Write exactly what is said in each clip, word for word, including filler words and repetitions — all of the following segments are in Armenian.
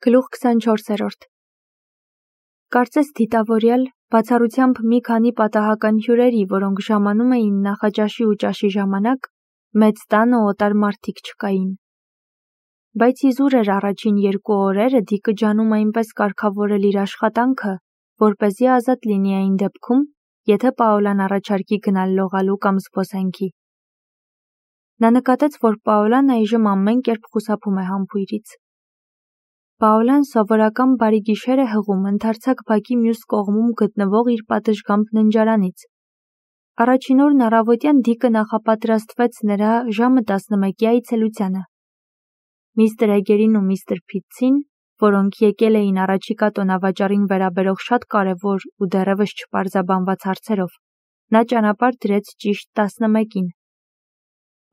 Գլուխ քսանչորսերորդ Կարծես դիտավորյալ, բացառությամբ մի քանի պատահական հյուրերի, որոնք ժամանում էին նախաճաշի ու ճաշի ժամանակ, մեծ տանը օտար մարդիկ չկային։ Բայց իզուր էր առաջին երկու օրերը Դիկը ջանում այնպես կարգավորել իր աշխատանքը, որպեսզի ազատ լինի այն դեպքում, եթե Պաոլան առաջարկի գնալ լողալու կամ զբոսանքի։ Նա նկատեց, որ Պաոլան այժմ ամեն կերպ խուսափում է համբույրից։ Պաոլան սովորական բարի գիշեր է հղում ընդարձակ բակի մյուս կողմում գտնվող իր պատշգամբ ննջարանից։ Առաջին օրն առավոտյան Դիկը նախապատրաստվեց նրա ժամը տասնմեկի այցելությանը։ Միստր Էգերին ու միստր Փիթսին, որոնք եկել էին առաջիկա տոնավաճառին վերաբերող շատ կարևոր ու դեռևս չպարզաբանված հարցերով, նա ճանապարհ դրեց ճիշտ տասնմեկին։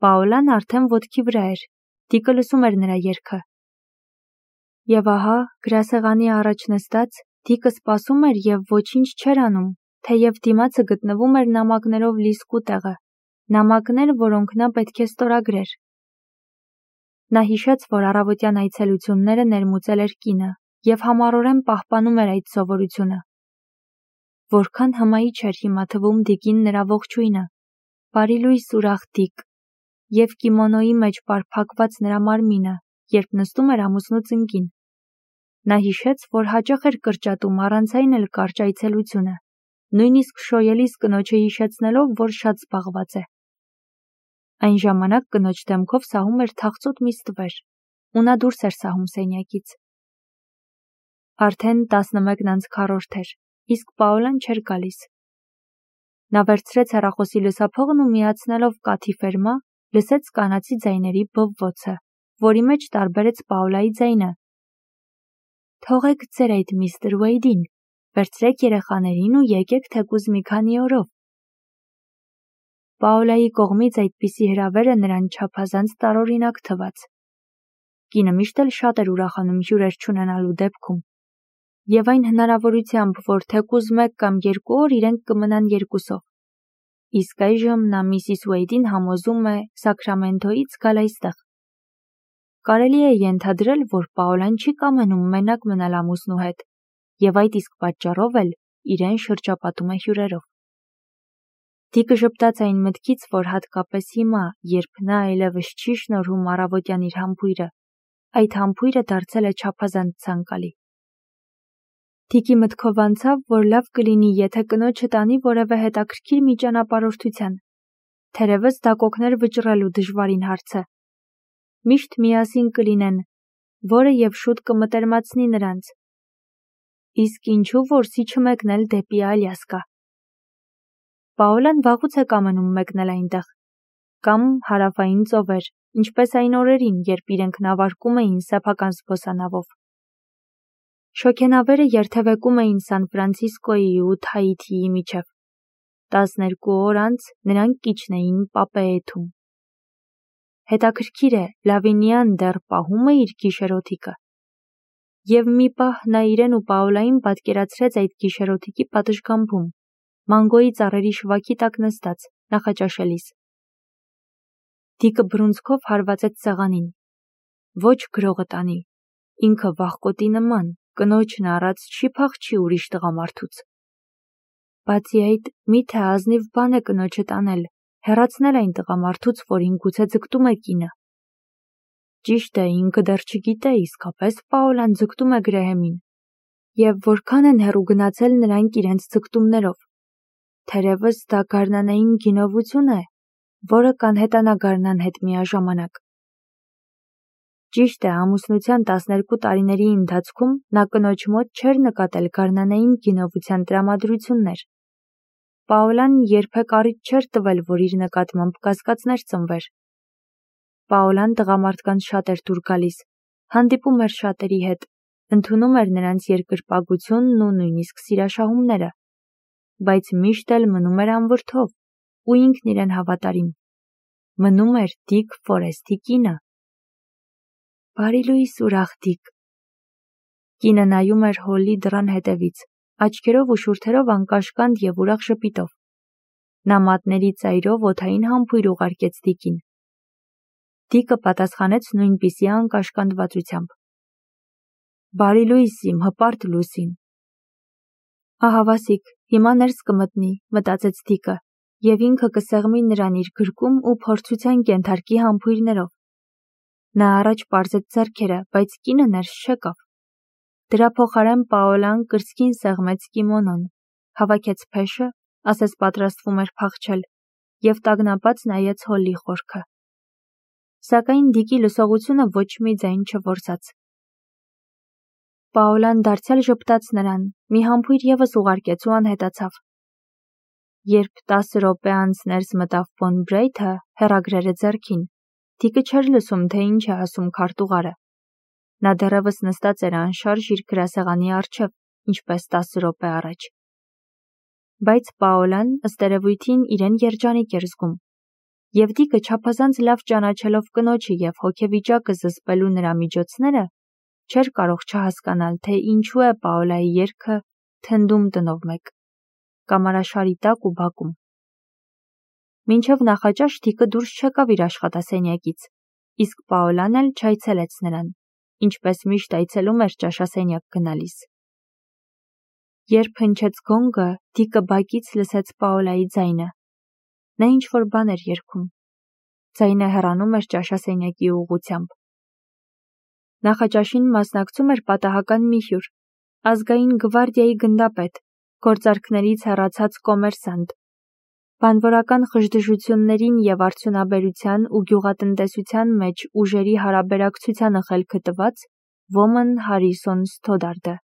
Պաոլան արդեն ոտքի վրա էր, Դիկը լսում էր նրա երգը։ Եվ ահա, գրասեղանի առաջ նստած, Դիկը սպասում էր և ոչինչ չէր անում, թեև դիմացը գտնվում էր նամակներով լի սկուտեղը, նամակներ, որոնք նա պետք է ստորագրեր։ Նա հիշեց, որ առավոտյան այցելությունները ներմուծել էր կինը և համառորեն պահպանում էր այդ սովորությունը։ Որքան հմայիչ էր հիմա թվում Դիկին նրա ողջույնը, բարիլույս ուրախ Դիկ, և կիմոնոյի մեջ պարփակված նրա մարմինը, երբ նստում էր ամուսնու ծնկին։ Նա հիշեց, որ հաճախ էր կրճատում առանց այն էլ կարճ այցելությունը, նույնիսկ շոյելիս կնոջը հիշեցնելով, որ շատ զբաղված է։ Այն ժամանակ կնոջ դեմքով սահում էր թախծոտ մի ստվեր, ու նա դուրս էր սահում սենյակից։ Արդեն տասնմեկն անց քառորդ էր, իսկ Պաոլան չէր գալիս։ Նա վերցրեց հեռախոսի լսափողն ու միացնելով կաթի ֆերմա, լսեց կանացի ձայների բվվոցը, որի մեջ տարբերեց Պաոլայի ձայնը։ Թողեք ձեր այդ միստր Ուեյդին, վերցրեք երեխաներին ու եկեք թեկուզ մի քանի օրով։ Պաոլայի կողմից այդպիսի հրավերը նրան չափազանց տարօրինակ թվաց։ Կինը միշտ էլ շատ էր ուրախանում հյուրեր չունենալու դեպքում, և այն հնարավորությամբ, որ թեկուզ մեկ կամ երկու օր իրենք կմնան երկուսով։ Իսկ այժմ նա միսիս Ուեյդին համոզում է Սաքրամենթոյից գալ այստեղ։ Կարելի է ենթադրել, որ Պաոլան չի կամենում մենակ մնալ ամուսնու հետ, և այդ իսկ պատճառով էլ իրեն շրջապատում է հյուրերով։ Դիկը ժպտաց այն մտքից, որ հատկապես հիմա, երբ նա այլևս չի շնորհում առավոտյան իր համբույրը, այդ համբույրը դարձել է չափազանց ցանկալի։ Դիկի մտքով անցավ, որ լավ կլինի, եթե կնոջը տանի որևէ հետաքրքիր մի ճանապարհորդության, թերևս դա կօգներ վճռելու դժվարին հարցը։ Միշտ միասին կլինեն, որը և շուտ կմտերմացնի նրանց։ Իսկ ինչու որսի չմեկնել դեպի Ալյասկա։ Պաոլան վաղուց է կամենում մեկնել այնտեղ, կամ հարավային ծովեր, ինչպես այն օրերին, երբ իրենք նավարկում էին սեփական զբոսանավով։ Շոգենավերը երթևեկում էին Սան Ֆրանցիսկոյի ու Թահիթիի միջև։ Տասներկու օր անց նրանք կիջնեին Պապեեթում։ Հետաքրքիր է, Լավինիան դեռ պահում է իր գիշերօթիկը։ Եվ մի պահ նա իրեն ու Պաոլային պատկերացրեց այդ գիշերօթիկի պատշգամբում, մանգոյի ծառերի շվաքի տակ նստած, նախաճաշելիս։ Դիկը բռունցքով հարվածեց սեղանին։ Ոչ գրողը տանի, ինքը վախկոտի նման, կնոջն առած չի փախչի ուրիշ տղամարդուց։ Բացի այդ, միթե ազնիվ բան է կնոջը տանել, հեռացնել այն տղամարդուց, որին գուցե ձգտում է կինը։ Ճիշտ է, ինքը դեռ չգիտե իսկապես Պաոլան ձգտում է Գրեհեմին, և որքան են հեռու գնացել նրանք իրենց ձգտումներով։ Թերևս դա գարնանային գինովություն է, որը կանհետանա գարնան հետ միաժամանակ։ Ճիշտ է, ամուսնության տասներկու տարիների ընթացքում նա կնոջ մոտ չէր նկատել գարնանային գինովության տրամադրություններ։ Պաոլան երբեք առիթ չէր տվել, որ իր նկատմամբ կասկածներ ծնվեր։ Պաոլան տղամարդկանց շատ էր դուր գալիս, հանդիպում էր շատերի հետ, ընդունում էր նրանց երկրպագությունն ու նույնիսկ սիրաշահումները, բայց միշտ էլ մնում էր անվրդով, ու ինքն իրեն հավատարիմ։ Մնում էր Դիկ Ֆորեսթի կինը։ Բարիլույս ուրախ Դիկ։ Կինը նայում էր հոլի դռան հետևից, աչքերով ու շուրթերով անկաշկանդ և ուրախ ժպիտով։ Նա մատների ծայրով օդային համբույր ուղարկեց Դիկին։ Դիկը պատասխանեց նույնպիսի անկաշկանդվածությամբ։ Բարի լույս իմ հպարտ լուսին։ Ահավասիկ, հիմա ներս կմտնի, մտածեց Դիկը, և ինքը կսեղմի նրան իր գրկում ու փորձության կենթարկի համբույրներով։ Նա առաջ պարզեց ձեռքերը, բայց կինը ներս չեկավ։ Դրա փոխարեն Պաոլան կրծքին սեղմեց կիմոնոն, հավաքեց փեշը, ասես պատրաստվում էր փախչել, և տագնապած նայեց Հոլլի խորքը։ Սակայն Դիկի լսողությունը ոչ մի ձայն չորսաց։ Պաոլան դարձյալ ժպտաց նրան, մի համբույր ևս ուղարկեց ու անհետացավ։ Երբ տասը րոպե անց ներս մտավ Ֆոն Բրեյթը հեռագրերը ձեռքին, Դիկը չէր լսում, թե ինչ է ասում քարտուղարը։ Նա դեռևս նստած էր անշարժ իր գրասեղանի առջև, ինչպես տասը րոպե առաջ։ Բայց Պաոլան ըստ երևույթին իրեն երջանիկ էր զգում, և Դիկը չափազանց լավ ճանաչելով կնոջը և հոգեվիճակը զսպելու նրա միջոցները, չէր կարող չհասկանալ, թե ինչու է Պաոլայի երգը թնդում տնով մեկ, կամարաշարի տակ ու բակում։ Մինչև նախաճաշ Դիկը դուրս չեկավ իր աշխատասենյակից, իսկ Պաոլան էլ չայցելեց նրան, ինչպես միշտ այցելում էր ճաշասենյակ գնալիս։ Երբ հնչեց գոնգը, Դիկը բակից լսեց Պաոլայի ձայնը։ Նա ինչ-որ բան էր երգում։ Ձայնը հեռանում էր ճաշասենյակի ուղղությամբ։ Նախաճաշին մասնակցում էր պատահական մի հյուր, ազգային գվարդիայի գնդապետ, գործարքներից հեռացած կոմերսանտ, բանվորական խժդժություններին և արդյունաբերության ու գյուղատնտեսության մեջ ուժերի հարաբերակցությանը խելքը տված Ոմն Հարիսոն Սթոդարդը։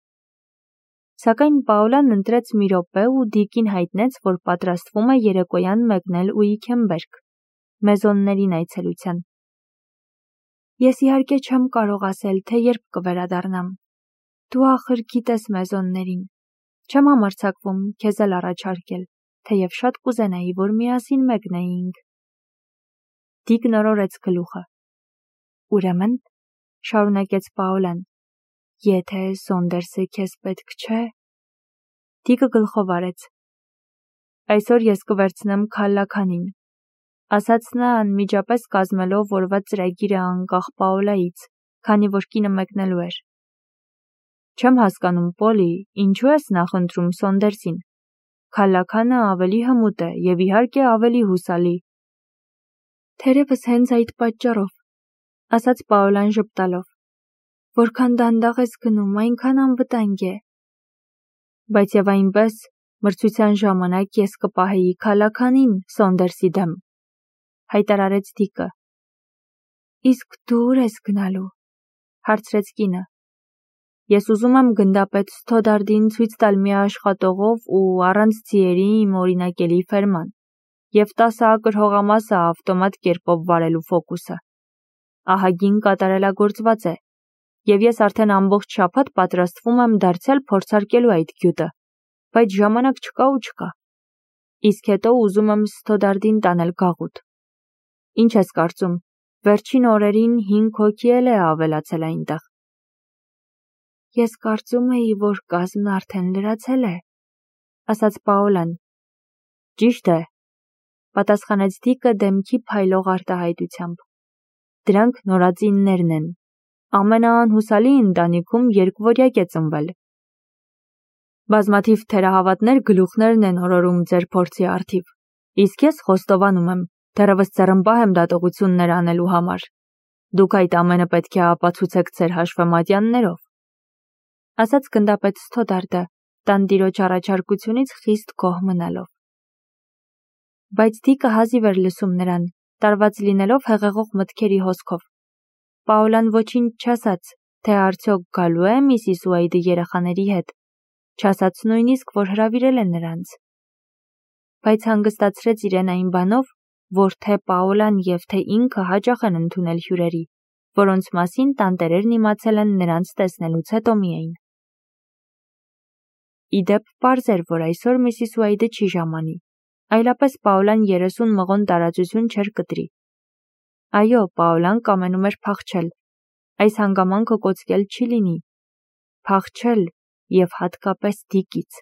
Սակայն Պաոլան ընտրեց մի րոպե ու Դիկին հայտնեց, որ պատրաստվում է երեկոյան մեկնել Ուիքենբերգ, Մեզոններին այցելության։ Ես իհարկե չեմ կարող ասել, թե երբ կվերադառնամ։ Դու ախր գիտես Մեզոններին։ Չեմ համարձակվում քեզ էլ առաջարկել, թեև շատ կուզենայի, որ միասին մեկնեինք։ Դիկն օրորեց գլուխը։ Ուրեմն, շարունակեց Պաոլան, եթե Սոնդերսը քեզ պետք չէ։ Դիկը գլխով արեց։ Այսօր ես կվերցնեմ քալլաքանին, ասաց նա անմիջապես կազմելով օրվա ծրագիրը անկախ Պաոլայից, քանի որ կինը մեկնելու էր։ Չեմ հասկանում, Պոլի, ինչու ես նախընտրում Սոնդերսին։ Քալլաքանը ավելի հմուտ է և իհարկե ավելի հուսալի։ Թերևս հենց այդ պատճառով, ասաց Պաոլան ժպտալով, որքան դանդաղ ես գնում, այնքան անվտանգ է։ Բայց և այնպես, մրցության ժամանակ ես կպահեի քալլաքանին Սոնդերսի դեմ, հայտարարեց Դիկը։ Իսկ դու ուր ես գնալու, հարցրեց կինը։ Ես ուզում եմ գնդապետ Սթոդարդին ցույց տալ մի աշխատողով ու առանց ձիերի իմ օրինակելի ֆերման և տասը ակր հողամասը ավտոմատ կերպով վարելու ֆոկուսը։ Ահագին կատարելագործված է, և ես արդեն ամբողջ շաբաթ պատրաստվում եմ դարձյալ փորձարկելու այդ գյուտը, բայց ժամանակ չկա ու չկա։ Իսկ հետո ուզում եմ Սթոդարդին տանել գաղութ։ Ինչ ես կարծում, վերջին օրերին հինգ հոգի էլ է ավելացել այնտեղ։ Ես կարծում էի, որ կազմն արդեն լրացել է, ասաց Պաոլան։ Ճիշտ է, պատասխանեց Դիկը դեմքի փայլող արտահայտությամբ։ Դրանք նորածիններն են։ Ամենաանհուսալի ընտանիքում երկվորյակ է ծնվել։ Բազմաթիվ թերահավատներ գլուխներն են օրորում ձեր փորձի առթիվ, իսկ ես խոստովանում եմ, դեռևս ձեռնպահ եմ դատողություններ անելու համար։ Դուք այդ ամենը պետք է ապացուցեք ձեր հաշվեմատյաններով, ասաց գնդապետ Սթոդարդը, տանտիրոջ առաջարկությունից խիստ գոհ մնալով։ Բայց Դիկը հազիվ էր լսում նրան, տարված լինելով հեղեղող մտքերի հոսքով։ Պաոլան ոչինչ չասաց, թե արդյոք գալու է միսիս Ուեյդը երեխաների հետ, չասաց նույնիսկ, որ հրավիրել է նրանց։ Բայց հանգստացրեց իրեն այն բանով, որ թե Պաոլան և թե ինքը հաճախ են ընդունել հյուրերի, որոնց մասին տանտերերն իմացել են նրանց տեսնելուց հետո միայն։ Իդեպ պարզ էր, որ այսօր միսիս Ուեյդը չի ժամանի, այլապես Պաոլան երեսուն մղոն տարածություն չէր կտրի։ Այո, Պաոլան կամենում էր փախչել, այս հանգամանքը կոծկել չի լինի, փախչել և հատկապես Դիկից։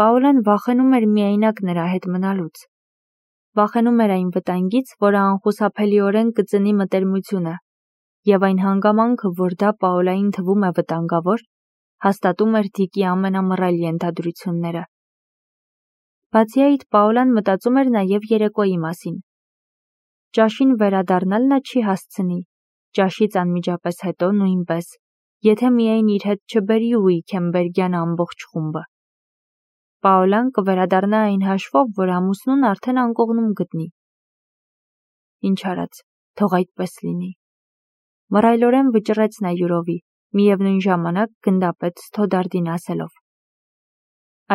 Պաոլան վախենում էր միայնակ նրա հետ մնալուց։ Վախենում էր այն վտանգից, որը անխուսափելիորեն կծնի մտերմությունը, և այն հանգամանքը, որ դա Պաոլային թվում է վտանգավոր, հաստատում էր Դիկի ամենամռայլ ենթադրությունները։ Բացի այդ, Պաոլան մտածում էր նաև երեկոյի մասին։ Ճաշին վերադառնալ նա չի հասցնի, ճաշից անմիջապես հետո նույնպես, եթե միայն իր հետ չբերի Ուիքենբերգյան ամբողջ խումբը։ Պաոլան կվերադառնա այն հաշվով, որ ամուսնուն արդեն անկողնում գտնի։ Ինչ արած, թող այդպես լինի։ Մռայլորեն վճռեց նա յուրովի, միևնույն ժամանակ գնդապետ Սթոդարտին ասելով.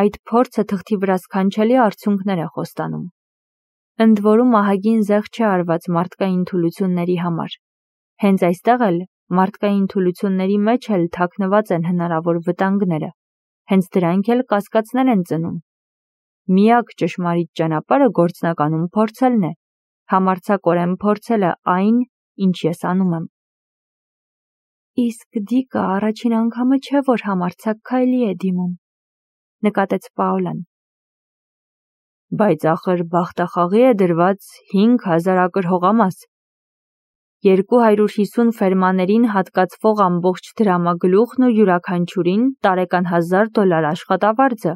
Այդ փորձը թղթի վրա սքանչելի արդյունքներ է խոստանում։ Ընդ որում ահագին զեղ չէ արված մարդկային թուլությունների համար։ Հենց այստեղ էլ մարդկային թուլությունների մեջ էլ թաքնված են հնարավոր վտանգները, հենց դրանք էլ կասկածներ են ծնում։ Միակ ճշմարիտ ճանապարհը գործնականում փորձելն է, համարձակորեն փորձելը այն, ինչ ես անում եմ։ Իսկ Դիկը առաջին անգամը չէ, որ համարձակ քայլի է դիմում, նկատեց Պաոլան։ Բայց ախր բախտախաղի է դրված հինգ հազար ակր հողամաս։ Երկու հարյուր հիսուն ֆերմաներին հատկացվող ամբողջ դրամագլուխն ու յուրաքանչյուրին տարեկան հազար դոլար աշխատավարձը,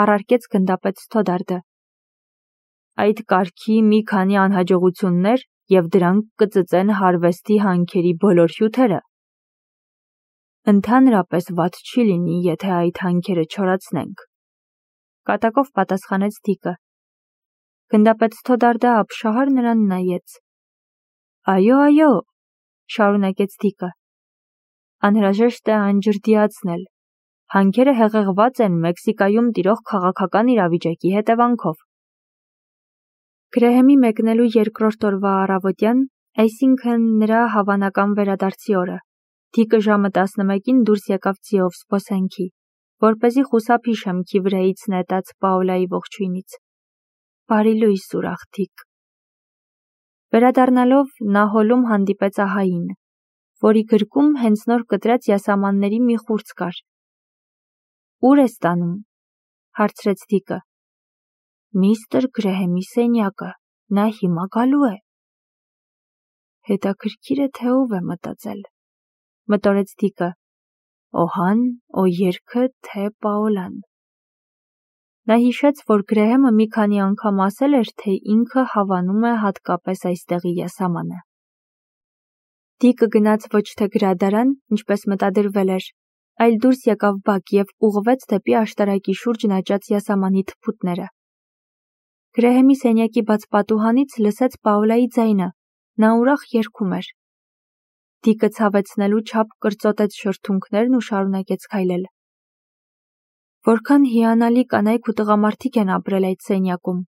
առարկեց գնդապետ Սթոդարտը։ Այդ կարգի մի քանի անհաջողություններ և դրանք կծծեն հարվեստի հանքերի բոլոր հյութերը։ Ընդհանրապես վատ չի լինի, եթե այդ հանքերը չորացնենք, կատակով պատասխանեց Դիկը։ Գնդապետ Սթոդարտը ապշահար նրան նայեց։ Այո, այո, շարունակեց Դիկը։ Անհրաժեշտ է անջրդիացնել։ Հանքերը հեղեղված են Մեքսիկայում տիրող քաղաքական իրավիճակի հետևանքով։ Գրեհեմի մեկնելու երկրորդ օրվա առավոտյան, այսինքն նրա հավանական վերադարձի օրը, Դիկը ժամը տասնմեկին դուրս եկավ ձիով զբոսանքի, որպեսզի խուսափի շեմքի վրայից նետած Պաոլայի ողջույնից։ Բարի լույս, ուրախ Դիկ։ Վերադառնալով նա հոլում հանդիպեց ահային, որի գրկում հենց նոր կտրած յասամանների մի խուրձ կար։ Ուր ես տանում, հարցրեց Դիկը։ Միստր Գրեհեմի սենյակը, նա հիմա գալու է։ Հետաքրքիր է, թե ով է մտածել, մտորեց Դիկը, Օհան, Օերքը, թե Պաոլան։ Նա հիշեց, որ Գրեհեմը մի քանի անգամ ասել էր, թե ինքը հավանում է հատկապես այստեղի յասամանը։ Դիկը գնաց ոչ թե գրադարան, ինչպես մտադրվել էր, այլ դուրս եկավ բակ և ուղղվեց դեպի աշտարակի շուրջն աճած յասամանի թփուտները։ Գրեհեմի սենյակի բաց պատուհանից լսեց Պաոլայի ձայնը, նա ուրախ երգում էր։ Դիկը ցավեցնելու չափ կրծոտեց շրթունքներն ու շարունակեց քայլել։ Որքան հիանալի կանայք ու տղամարդիկ են ապրել այդ սենյակում,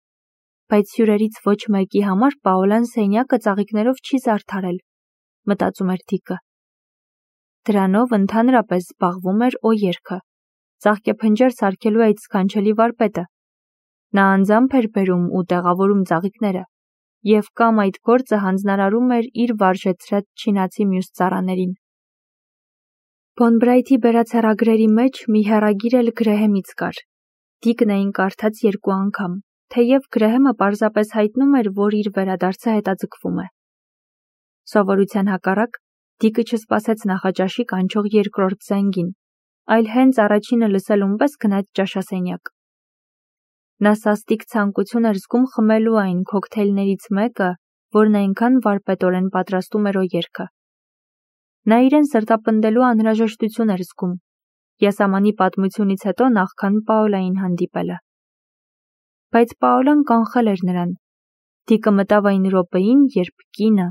բայց հյուրերից ոչ մեկի համար Պաոլան սենյակը ծաղիկներով չի զարդարել, մտածում էր Դիկը։ Դրանով ընդհանրապես զբաղվում էր Օերքը, ծաղկեփնջեր սարքելու այդ սքանչելի վարպետը։ Նա անձամբ էր բերում ու տեղավորում ծաղիկները, և կամ այդ գործը հանձնարարում էր իր վարժեցրած չինացի մյուս ծառաներին։ Բոնբրայթի բերած հեռագրերի մեջ մի հեռագիր էլ Գրեհեմից կար։ Դիկն այն կարդաց երկու անգամ, թեև Գրեհեմը պարզապես հայտնում էր, որ իր վերադարձը հետաձգվում է։ Սովորության հակառակ, Դիկը չսպասեց նախաճաշի կանչող երկրորդ զանգին, այլ հենց առաջինը լսելուն պես գնաց ճաշասենյակ։ Նա սաստիկ ցանկություն էր զգում խմելու այն քոքթեյլներից մեկը, որն այնքան վարպետորեն պատրաստում էր Օերքը։ Նա իրեն սրտապնդելու անհրաժեշտություն էր զգում, յասամանի պատմությունից հետո նախքան Պաոլային հանդիպելը։ Բայց Պաոլան կանխել էր նրան։ Դիկը մտավ այն րոպեին, երբ կինը,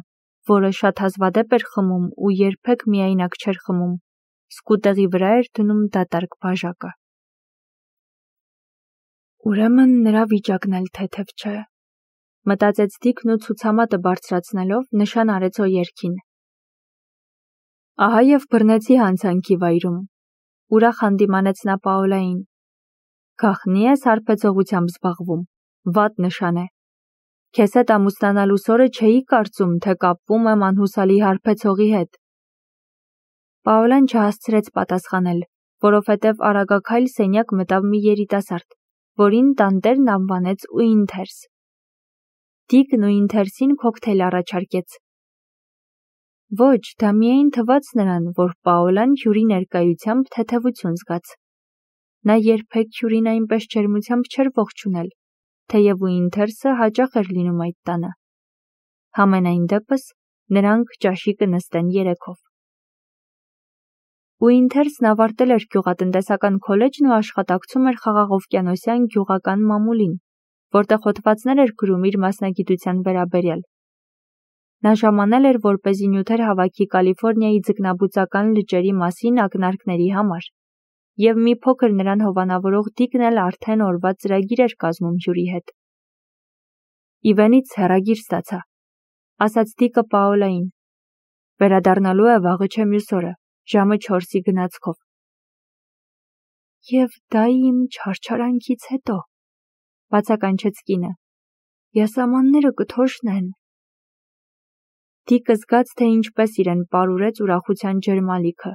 որը շատ հազվադեպ էր խմում ու երբեք միայնակ չէր խմում, սկուտեղի վրա էր դնում դատարկ բաժակը։ Ուրեմն նրա վիճակն էլ թեթև չէ, մտածեց Դիկն ու ցուցամատը բարձրացնելով նշան արեց Օերքին։ Ահա և բռնեցի հանցանքի վայրում, ուրախ հանդիմանեց նա Պաոլային։ Գաղտնի ես հարբեցողությամբ զբաղվում, վատ նշան է։ Քեզ հետ ամուսնանալուս օրը չէի կարծում, թե կապվում եմ անհուսալի հարբեցողի հետ։ Պաոլան չհասցրեց պատասխանել, որովհետև արագաքայլ սենյակ մտավ մի երիտասարդ, որին տանտերն անվանեց Ուինթերս։ Դիկն Ուինթերսին քոքթեյլ առաջարկեց։ Ոչ, դա միայն թվաց նրան, որ Պաոլան հյուրի ներկայությամբ թեթևություն զգաց։ Նա երբեք հյուրին այնպես ջերմությամբ չէր ողջունել, թեև Ուինթերսը հաճախ էր լինում այդ տանը։ Համենայն դեպս, նրանք ճաշի կնստեն երեքով։ Ուինթերսն ավարտել էր գյուղատնտեսական քոլեջն ու աշխատակցում էր Խաղաղօվկիանոսյան գյուղական մամուլին, որտեղ հոդվածներ էր գրում իր մասնագիտության վերաբերյալ։ Նա ժամանել էր, որպեսզի նյութեր հավաքի Կալիֆոռնիայի ձկնաբուծական լճերի մասին ակնարկների համար, և մի փոքր նրան հովանավորող Դիկն էլ արդեն օրվա ծրագիր էր կազմում հյուրի հետ։ Իվենից հեռագիր ստացա, ասաց Դիկը Պաոլային։ Վերադառնալու է վաղը չէ մյուս օրը, ժամը չորսի գնացքով։ Եվ դա իմ չարչարանքից հետո, բացականչեց կինը, յասամանները կթոշնեն։ Դիկը զգաց, թե ինչպես իրեն պարուրեց ուրախության ջերմալիքը։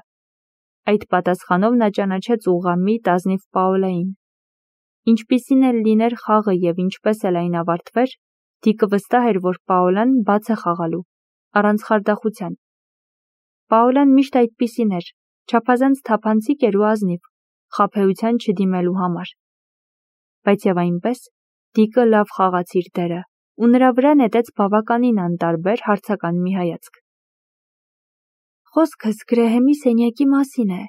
Այդ պատասխանով նա ճանաչեց ուղղամիտ ազնիվ Պաոլային։ Ինչպիսին էլ լիներ խաղը և ինչպես էլ այն ավարտվեր, Դիկը վստահ էր, որ Պաոլան բաց է խաղալու, առանց խարդախության։ Պաոլան միշտ այդպիսին էր, չափազանց թափանցիկ էր ու ազնիվ, խաբեության չդիմելու համար։ Բայց և այնպես, Դիկը լավ խաղաց իր դերը, ու նրա վրա նետեց բավականին անտարբեր հարցական մի հայացք։ Խոսքս Գրեհեմի սենյակի մասին է,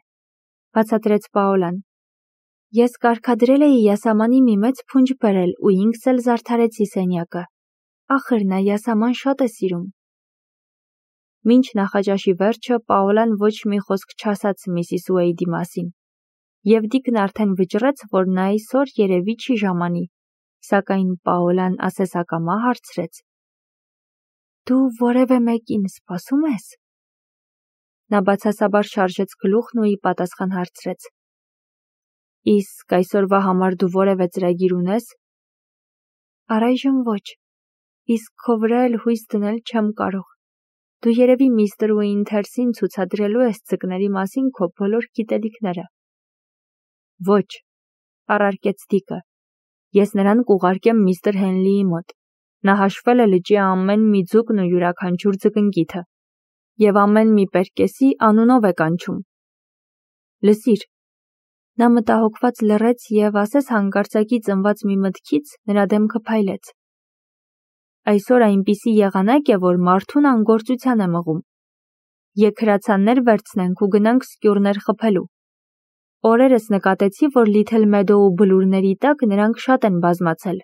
բացատրեց Պաոլան։ Ես կարգադրել էի յասամանի մի մեծ փունջ բերել ու ինքս էլ զարդարեցի սենյակը։ Ախր նա յասաման շատ է սիրում։ Մինչ նախաճաշի վերջը Պաոլան ոչ մի խոսք չասաց միսիս Ուեյդի մասին, և Դիկն արդեն վճռեց, որ նա այսօր երևի չի ժամանի, սակայն Պաոլան ասեսակամա հարցրեց. Դու որևէ մեկին սպասում ես։ Նա բացասաբար շարժեց գլուխն ու ի պատասխան հարցրեց. Իսկ այսօրվա համար դու որևէ ծրագիր ունես։ Առայժմ ոչ, իսկ քո վրա էլ հույս դնել չեմ կարող։ Դու երևի միստր Ուինթերսին ցուցադրելու ես ձկների մասին քո բոլոր գիտելիքները։ Ոչ, առարկեց Դիկը, ես նրան կուղարկեմ միստր Հենլիի մոտ։ Նա հաշվել է լճի ամեն մի ձուկն ու յուրաքանչյուր ձկնկիթը, և ամեն մի պերկեսի անունով է կանչում։ Լսիր։ Նա մտահոգված լռեց և ասես հանկարծակի ծնված մի մտքից նրա դեմքը փայլեց։ Այսօր այնպիսի եղանակ է, որ մարդուն անգործության է մղում։ Եկ հրացաններ վերցնենք ու գնանք սկյուռներ խփելու։ Օրերս նկատեցի, որ Լիթլ Մեդոու բլուրների տակ նրանք շատ են բազմացել։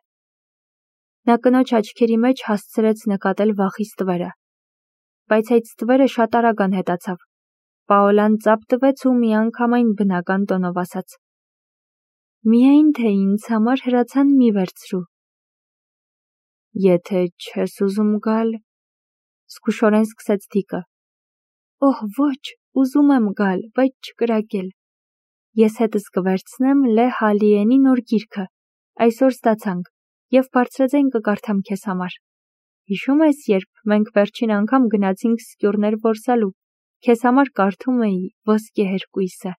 Նա կնոջ աչքերի մեջ հասցրեց նկատել վախի ստվերը։ Բայց այդ ստվերը շատ արագ անհետացավ։ Պաոլան ծափ տվեց ու միանգամայն բնական տոնով ասաց. Միայն թե ինձ համար հրացան մի վերցրու։ Եթե չես ուզում գալ, զգուշորեն սկսեց Դիկը։ Օհ, ոչ, ուզում եմ գալ, բայց չկրակել։ Ես հետս կվերցնեմ Լե Հալիենի նոր գիրքը, այսօր ստացանք, և բարձրաձայն կկարդամ քեզ համար։ Հիշում ես, երբ մենք վերջին անգամ գնացինք սկյուռներ որսալու, քեզ համար կարդում էի Ոսկե հերկույսը։